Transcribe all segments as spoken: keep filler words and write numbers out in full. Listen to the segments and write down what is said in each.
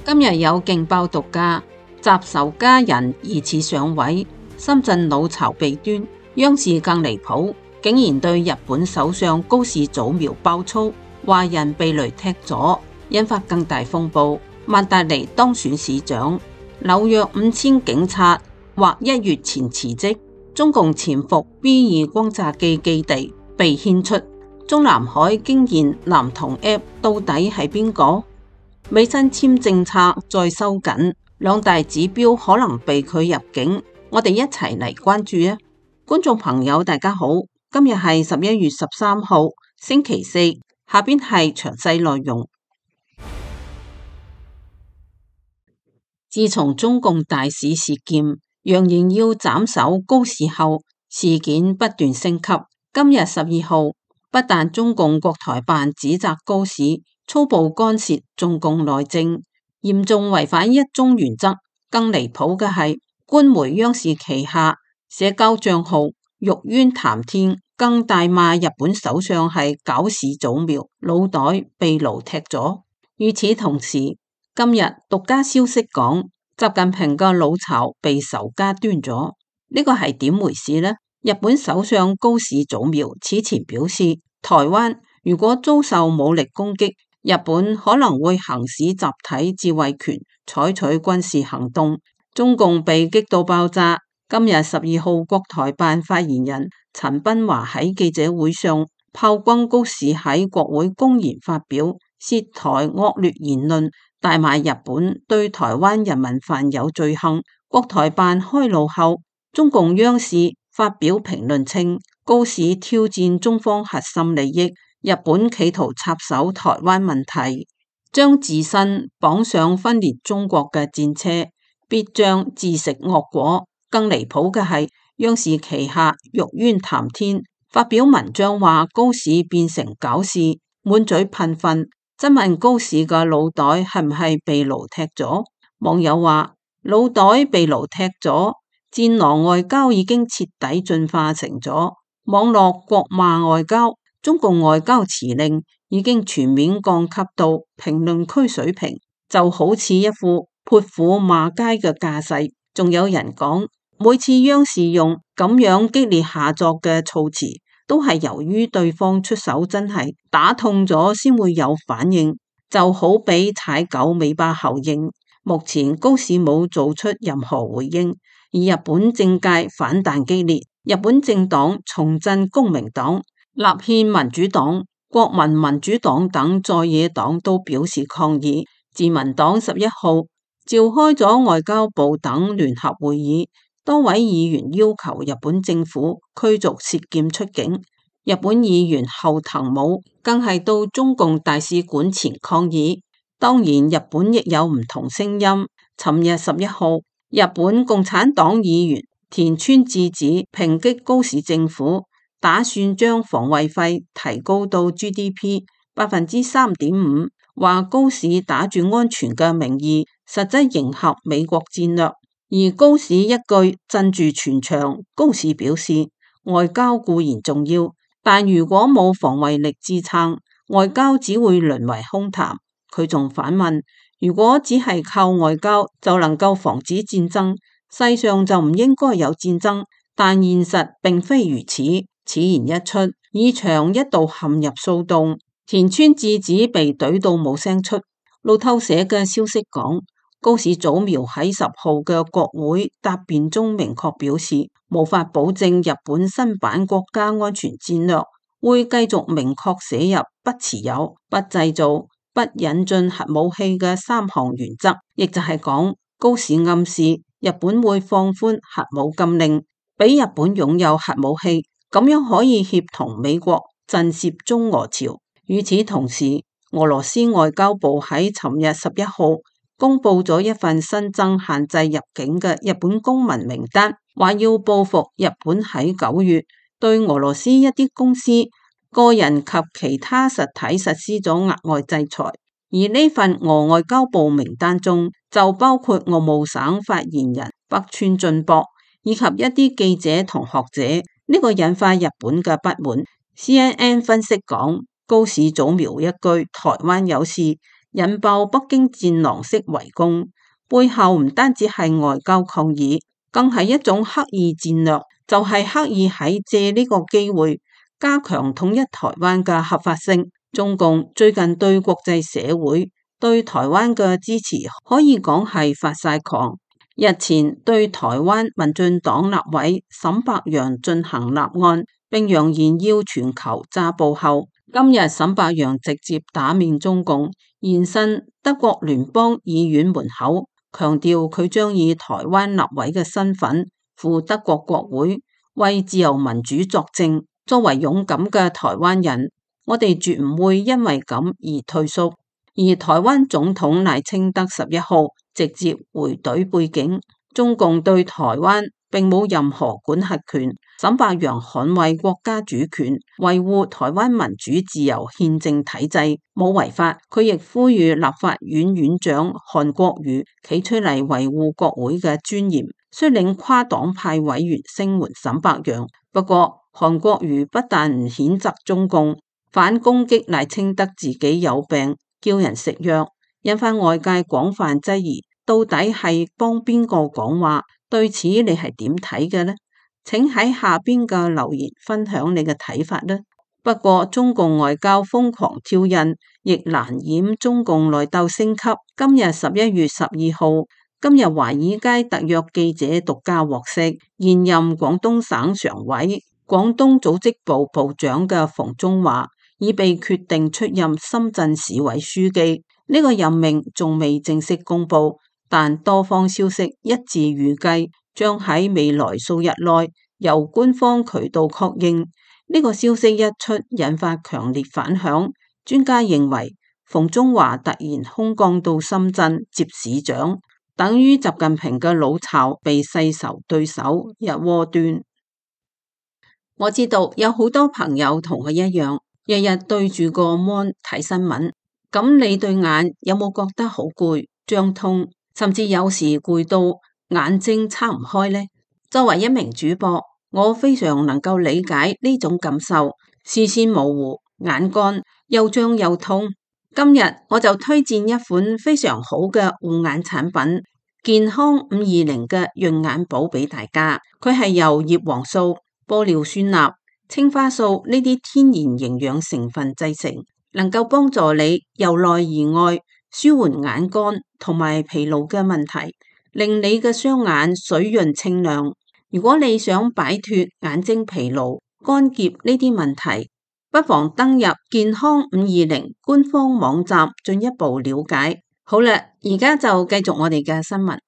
今日有勁爆獨家，習仇家人疑似上位，深圳老巢被端，央視更離譜，竟然對日本首相高市早苗爆粗，話人被雷踢咗，引發更大風暴。曼達尼當選市長，紐約五千警察或一月前辭職，中共潛伏 B 二轟炸機基地被牽出，中南海驚現男童 App 到底係邊個？美新簽政策再收緊，兩大指標可能被拒入境，我哋一齊嚟關注啊！觀眾朋友大家好，今日係十一月十三號星期四，下邊係詳細內容。自從中共大使事件揚言要斬首高市後，事件不斷升級。今日十二號，不但中共國台辦指責高市粗暴干涉中共內政，嚴重違反一中原則，更離譜嘅係官媒央視旗下社交賬號玉淵談天更大罵日本首相係搞事早苗，腦袋被奴踢咗。與此同時，今日獨家消息講，習近平嘅老巢被仇家端咗，呢個係點回事呢？日本首相高市早苗此前表示，台灣如果遭受武力攻擊，日本可能會行使集體自衛權，採取軍事行動。中共被激到爆炸。今日十二號，國台辦發言人陳斌華喺記者會上炮轟高市喺國會公然發表涉台惡劣言論，大罵日本對台灣人民犯有罪行。國台辦開路後，中共央視發表評論稱，高市挑戰中方核心利益。日本企圖插手台灣問題，將自身綁上分裂中國嘅戰車，必將自食惡果。更離譜嘅係，央視旗下玉淵談天發表文章話高市變成搞事，滿嘴噴糞，質問高市嘅腦袋係唔係被奴踢咗？網友話腦袋被奴踢咗，戰狼外交已經徹底進化成咗網絡國罵外交。中共外交辭令已經全面降級到評論區水平，就好似一副潑婦罵街嘅架勢。仲有人講，每次央視用咁樣激烈下作嘅措辭，都係由於對方出手真係打痛咗先會有反應，就好比踩狗尾巴效應。目前高市冇做出任何回應，而日本政界反彈激烈，日本政黨重振公明黨、立憲民主黨、國民民主黨等在野黨都表示抗議。自民黨十一號召開咗外交部等聯合會議，多位議員要求日本政府驅逐涉劍出境。日本議員後藤武更係到中共大使館前抗議。當然，日本亦有唔同聲音。尋日十一號，日本共產黨議員田村智子抨擊高市政府打算將防衛費提高到 G D P 百分之三點五，話高市打住安全嘅名義，實質迎合美國戰略。而高市一句鎮住全場。高市表示，外交固然重要，但如果冇防衛力支撐，外交只會淪為空談。佢仲反問，如果只係靠外交就能夠防止戰爭，世上就唔應該有戰爭。但現實並非如此。此言一出，議場一度陷入騷動，田村智子被懟到冇聲出。路透社嘅消息講，高市早苗喺十號嘅國會答辯中明確表示，無法保證日本新版國家安全戰略會繼續明確寫入不持有、不製造、不引進核武器嘅三項原則，亦就係講，高市暗示日本會放寬核武禁令，俾日本擁有核武器。咁樣可以協同美國震懾中俄潮。與此同時，俄羅斯外交部喺尋日十一號公布咗一份新增限制入境嘅日本公民名單，話要報復日本喺九月對俄羅斯一啲公司、個人及其他實體實施咗額外制裁。而呢份俄外交部名單中就包括俄務省發言人北川俊博以及一啲記者同學者。呢個引發日本嘅不滿。C N N 分析講，高市早苗一句台灣有事，引爆北京戰狼式圍攻，背後唔單止係外交抗議，更係一種刻意戰略，就係、是、刻意喺借呢個機會加強統一台灣嘅合法性。中共最近對國際社會對台灣嘅支持可以講係發晒狂。日前對台灣民進黨立委沈伯洋進行立案，並揚言要全球抓捕後，今日沈伯洋直接打面中共，現身德國聯邦議院門口，強調佢將以台灣立委嘅身份赴德國國會，為自由民主作證。作為勇敢嘅台灣人，我哋絕唔會因為咁而退縮。而台灣總統賴清德十一號直接回隊背景，中共對台灣並冇任何管轄權。沈伯洋捍衛國家主權，維護台灣民主自由憲政體制，冇違法。佢亦呼籲立法院院長韓國瑜企出嚟維護國會嘅尊嚴，率領跨黨派委員聲援沈伯洋。不過韓國瑜不但唔譴責中共，反攻擊賴清德自己有病，叫人食藥，引發外界廣泛質疑，到底係幫邊個講話？對此你係點睇嘅呢？請喺下邊嘅留言分享你嘅睇法啦。不過中共外交瘋狂挑釁，亦難掩中共內鬥升級。今日十一月十二號，今日華爾街特約記者獨家獲悉，現任廣東省常委、廣東組織部部長嘅馮中華已被決定出任深圳市委書記。呢個任命仲未正式公布，但多方消息一致預計將喺未來數日內由官方渠道確認。呢個消息一出，引發強烈反響。專家認為，馮中華突然空降到深圳接市長，等於習近平嘅老巢被世仇對手一鍋端。我知道有好多朋友同我一樣，日日對住個 mon 睇新聞，咁你對眼有冇覺得好攰、脹痛，甚至有時攰到眼睛撐唔開呢？作為一名主播，我非常能夠理解呢種感受，視線模糊、眼乾、又脹又痛。今日我就推薦一款非常好嘅護眼產品——健康五二零嘅潤眼寶俾大家。佢係由葉黃素、玻尿酸鈉、青花素呢啲天然營養成分製成，能夠幫助你由內而外舒緩眼乾同埋疲勞嘅問題，令你嘅雙眼水潤清亮。如果你想擺脫眼睛疲勞、乾澀呢啲問題，不妨登入健康五二零官方網站進一步了解。好啦，而家就繼續我哋嘅新聞。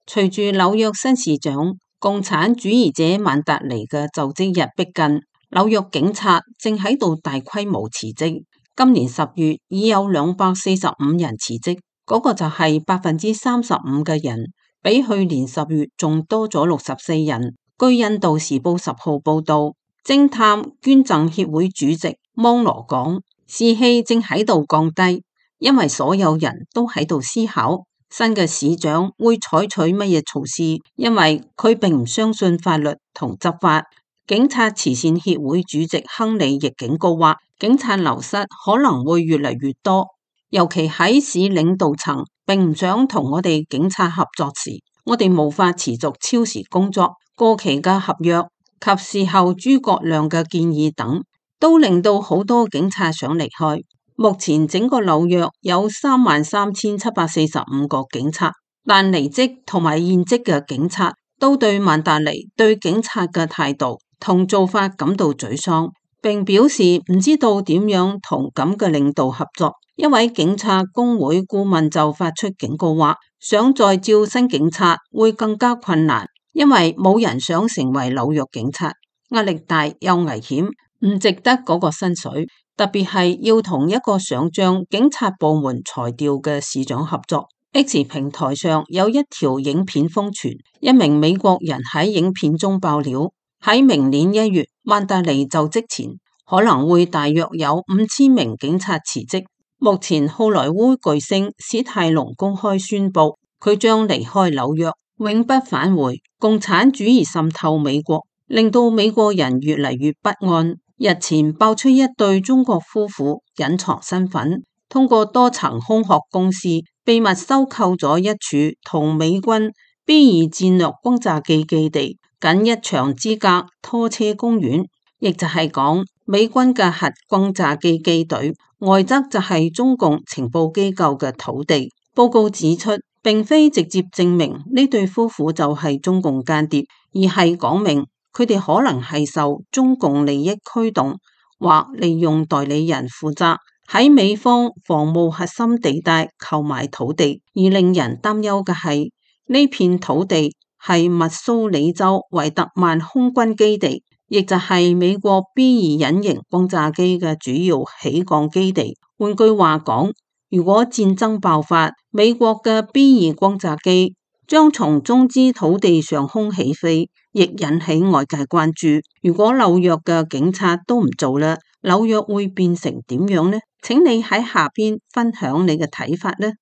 隨住紐約新市長共產主義者曼達尼嘅就職日逼近，紐約警察正喺度大規模辭職。今年十月已有兩百四十五人辭職，嗰、那個就係百分之三十五嘅人，比去年十月仲多咗六十四人。據印度時報十號報道，偵探捐贈協會主席芒羅講，士氣正喺度降低，因為所有人都喺度思考新嘅市長會採取乜嘢措施，因為佢並唔相信法律同執法。警察慈善協會主席亨利亦警告話，警察流失可能會越嚟越多，尤其喺市領導層並唔想同我哋警察合作時，我哋無法持續超時工作、過期嘅合約及事後諸葛亮嘅建議等，都令到好多警察想離開。目前整個紐約有三萬三千七百四十五個警察，但離職同埋現職嘅警察都對曼達尼對警察嘅態度同做法感到沮喪，並表示唔知道點樣同咁嘅領導合作。一位警察工會顧問就發出警告話，想再招新警察會更加困難，因為冇人想成為紐約警察，壓力大又危險，唔值得嗰個薪水。特別係要同一個想將警察部門裁掉嘅市長合作。X 平台上有一條影片瘋傳，一名美國人喺影片中爆料，喺明年一月曼達尼就職前，可能會大約有五千名警察辭職。目前好萊塢巨星史泰龍公開宣布，佢將離開紐約，永不返回。共產主義滲透美國，令到美國人越嚟越不安。日前爆出一對中國夫婦隱藏身份，通過多層空殼公司秘密收購咗一處同美軍 B 二戰略轟炸機基地僅一牆之隔拖車公園，亦就係講美軍嘅核轟炸機機隊，外則就係中共情報機構嘅土地。報告指出，並非直接證明呢對夫婦就係中共間諜，而係講明佢哋可能係受中共利益驅動，或利用代理人負責喺美方防務核心地帶購買土地。而令人擔憂嘅係，呢片土地係密蘇里州維特曼空軍基地，亦就係美國 B 二隱形轟炸機嘅主要起降基地。換句話講，如果戰爭爆發，美國嘅 B 二轟炸機將從中資土地上空起飛，亦引起外界關注。如果紐約嘅警察都唔做啦，紐約會變成點樣呢？請你喺下邊分享你嘅睇法呢？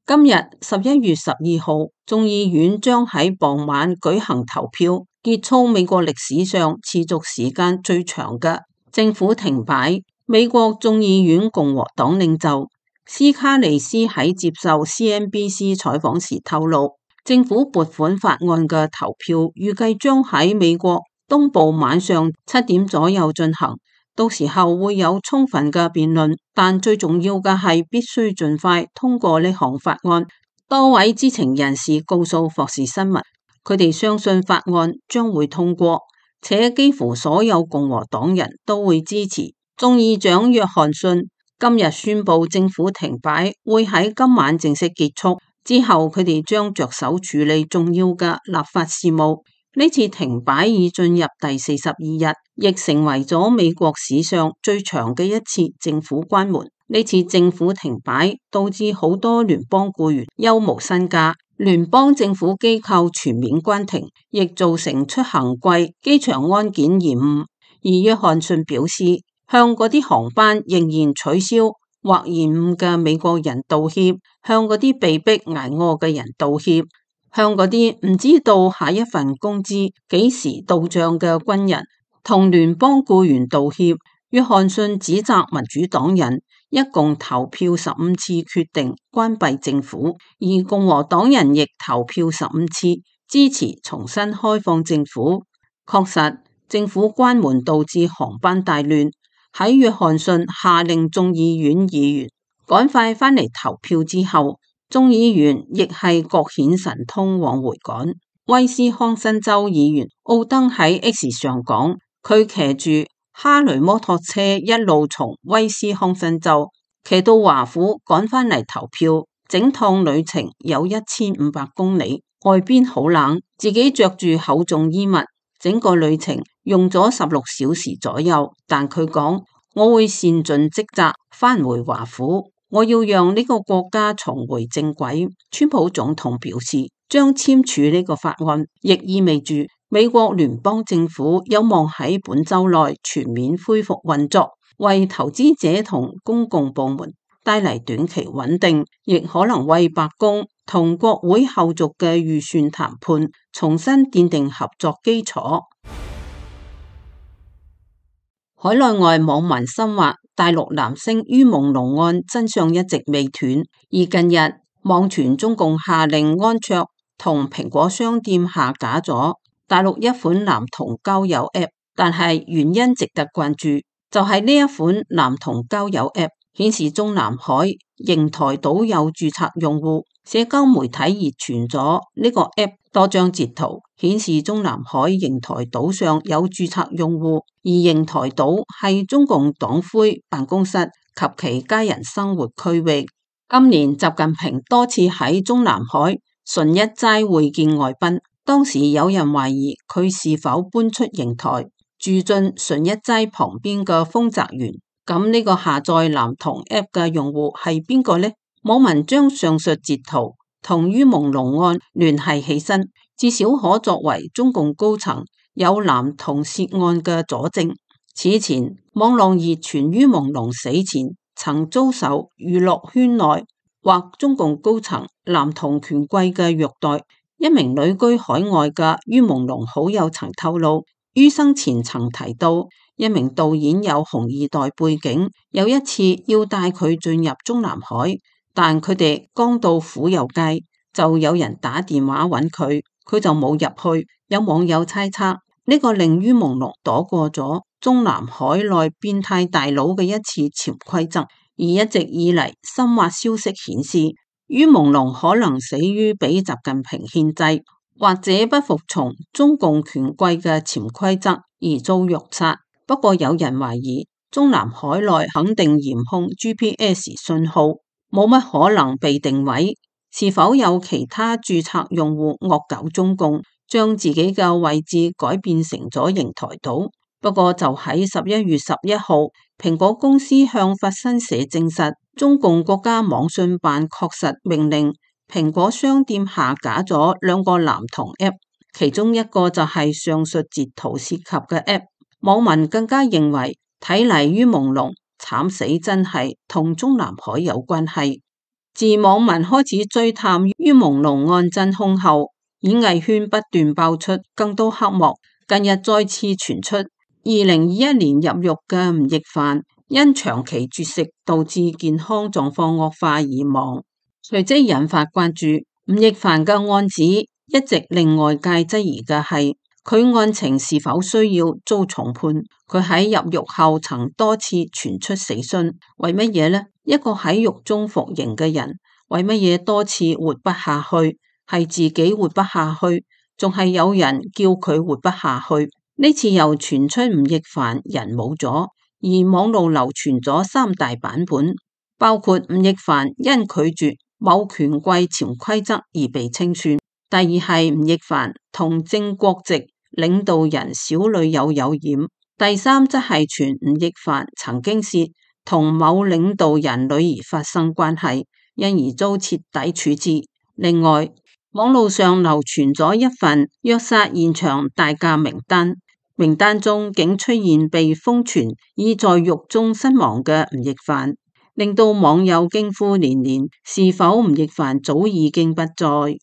今日十一月十二號，眾議院將喺傍晚舉行投票，結束美國歷史上持續時間最長嘅政府停擺。美國眾議院共和黨領袖斯卡利斯喺接受 C N B C 採訪時透露，政府撥款法案嘅投票預計將喺美國東部晚上七點左右進行。到時候會有充分嘅辯論，但最重要嘅係必須盡快通過呢項法案。多位知情人士告訴霍士新聞，佢哋相信法案將會通過，且幾乎所有共和黨人都會支持。眾議長約翰遜今日宣布政府停擺會喺今晚正式結束，之後佢哋將着手處理重要嘅立法事務。呢次停擺已進入第四十二日，亦成為咗美國史上最長嘅一次政府關門。呢次政府停擺導致好多聯邦僱員休無薪假，聯邦政府機構全面關停，亦造成出行貴、機場安檢延誤。而約翰遜表示，向嗰啲航班仍然取消或延誤嘅美國人道歉，向嗰啲被逼挨餓嘅人道歉，向嗰啲唔知道下一份工資幾時到賬嘅軍人同聯邦僱員道歉。約翰遜指責民主黨人一共投票十五次決定關閉政府，而共和黨人亦投票十五次支持重新開放政府。確實，政府關門導致航班大亂。喺約翰遜下令眾議院議員趕快返嚟投票之後，眾議員亦係各顯神通往回趕。威斯康辛州議員奧登喺 X 上講，佢騎住哈雷摩托車一路從威斯康辛州騎到華府趕返嚟投票，整趟旅程有一千五百公里，外邊好冷，自己着住厚重衣物，整個旅程用咗十六小時左右。但佢講，我會善盡職責返回華府，我要讓呢個國家重回正軌。川普總統表示將簽署呢個法案，亦意味住美國聯邦政府有望喺本週內全面恢復運作，為投資者同公共部門帶嚟短期穩定，亦可能為白宮同國會後續嘅預算談判重新奠定合作基礎。海內外網民深話，大陸男星于朦朧案真相一直未斷，而近日網傳中共下令安卓同蘋果商店下架咗大陸一款男童交友 App， 但係原因值得關注，就係、是、呢一款男童交友 App 顯示中南海瀛台島有註冊用戶，社交媒體熱傳咗呢個 App 多張截圖，顯示中南海瀛台島上有註冊用戶，而瀛台島係中共黨魁辦公室及其家人生活區域。今年習近平多次喺中南海順一齋會見外賓，當時有人懷疑佢是否搬出瀛台住進順一齋旁邊嘅豐澤園。咁呢個下載男童 App 嘅用戶係邊個呢？網民將上述截圖同于朦朧案聯繫起身，至少可作為中共高層有男童涉案嘅佐證。此前網絡熱傳于朦朧死前曾遭受娛樂圈內或中共高層男童權貴嘅虐待。一名旅居海外嘅于朦朧好友曾透露，於生前曾提到，一名導演有紅二代背景，有一次要帶佢進入中南海，但佢哋剛到府右街，就有人打電話揾佢，佢就冇入去。有網友猜測，呢個令於朦朧躲過咗中南海內變態大佬嘅一次潛規則。而一直以嚟，深挖消息顯示，於朦朧可能死於俾習近平獻祭，或者不服從中共權貴嘅潛規則而遭虐殺。不過有人懷疑，中南海內肯定嚴控 G P S 信號，冇乜可能被定位。是否有其他註冊用戶惡搞中共，將自己嘅位置改變成咗瀛台島？不過就喺十一月十一號，蘋果公司向法新社證實，中共國家網信辦確實命令蘋果商店下架咗兩個男童 App， 其中一個就係上述截圖涉及嘅 App。網民更加認為，睇嚟於朦朧慘死真係同中南海有關係。自網民開始追探於朦朧案真兇後，演藝圈不斷爆出更多黑幕。近日再次傳出，二零二一年入獄嘅吳亦凡因長期絕食導致健康狀況惡化而亡，隨即引發關注。吳亦凡嘅案子一直令外界質疑嘅係，佢案情是否需要遭重判？佢喺入獄後曾多次傳出死訊，為乜嘢呢？一個喺獄中服刑嘅人，為乜嘢多次活不下去？係自己活不下去，仲係有人叫佢活不下去？呢次又傳出吳亦凡人冇咗，而網路流傳咗三大版本，包括吳亦凡因拒絕某權貴潛規則而被清算；第二係吳亦凡同正國籍領導人小女友有染；第三則係傳吳亦凡曾經是同某領導人女兒發生關係，因而遭徹底處置。另外，網路上流傳咗一份虐殺現場大駕名單，名單中竟出現被瘋傳已在獄中身亡嘅吳亦凡，令到網友驚呼連連，是否吳亦凡早已經不在？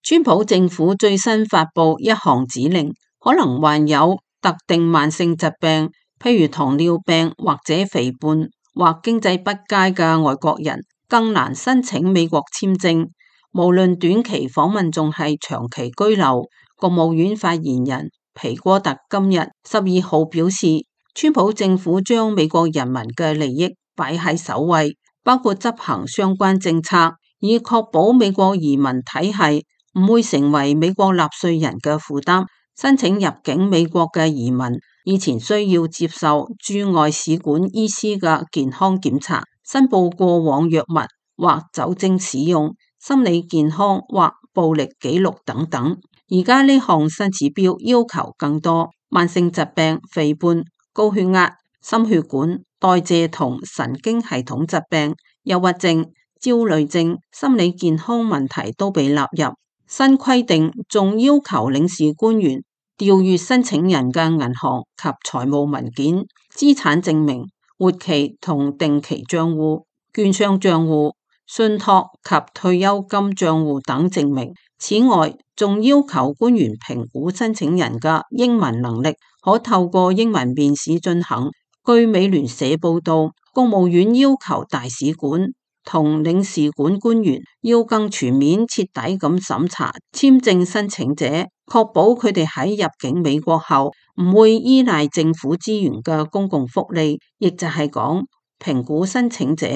川普政府最新發布一項指令，可能患有特定慢性疾病，譬如糖尿病或者肥胖或經濟不佳嘅外國人，更難申請美國簽證，無論短期訪問仲係長期居留。國務院發言人皮戈特今日十二號表示，川普政府將美國人民嘅利益擺喺首位，包括執行相關政策，以確保美國移民體系唔會成為美國納稅人嘅負擔。申請入境美國嘅移民以前需要接受駐外使館醫師嘅健康檢查，申報過往藥物或酒精使用、心理健康或暴力記錄等等。而家呢項新指標要求更多，慢性疾病、肥胖、高血壓、心血管、代謝同神經系統疾病、憂鬱症、焦慮症、心理健康問題都被納入。新規定仲要求領事官員調閱申請人嘅銀行及財務文件、資產證明、活期同定期賬戶、券商賬戶、信託及退休金賬戶等證明。此外，仲要求官員評估申請人嘅英文能力，可透過英文面試進行。據美聯社報道，國務院要求大使館同領事館官員要更全面徹底咁審查簽證申請者，確保佢哋喺入境美國後唔會依賴政府資源嘅公共福利，亦就係講評估申請者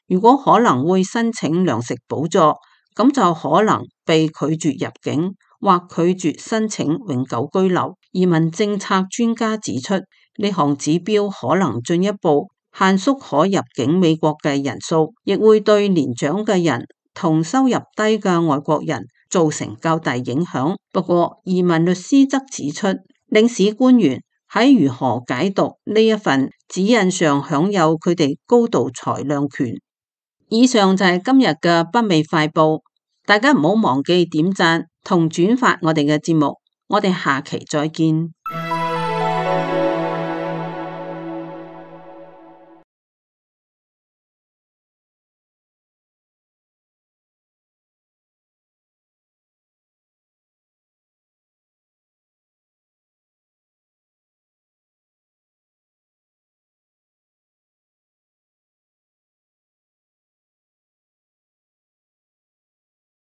如果可能會申請糧食補助，咁就可能被拒絕入境或拒絕申請永久居留。移民政策專家指出，呢項指標可能進一步限縮可入境美國嘅人數，亦會對年長嘅人同收入低嘅外國人造成較大影響。不過，移民律師則指出，領事官員喺如何解讀呢一份指引上享有佢哋高度裁量權。以上就係今日嘅北美快報，大家唔好忘記點讚同轉發我哋嘅節目，我哋下期再見。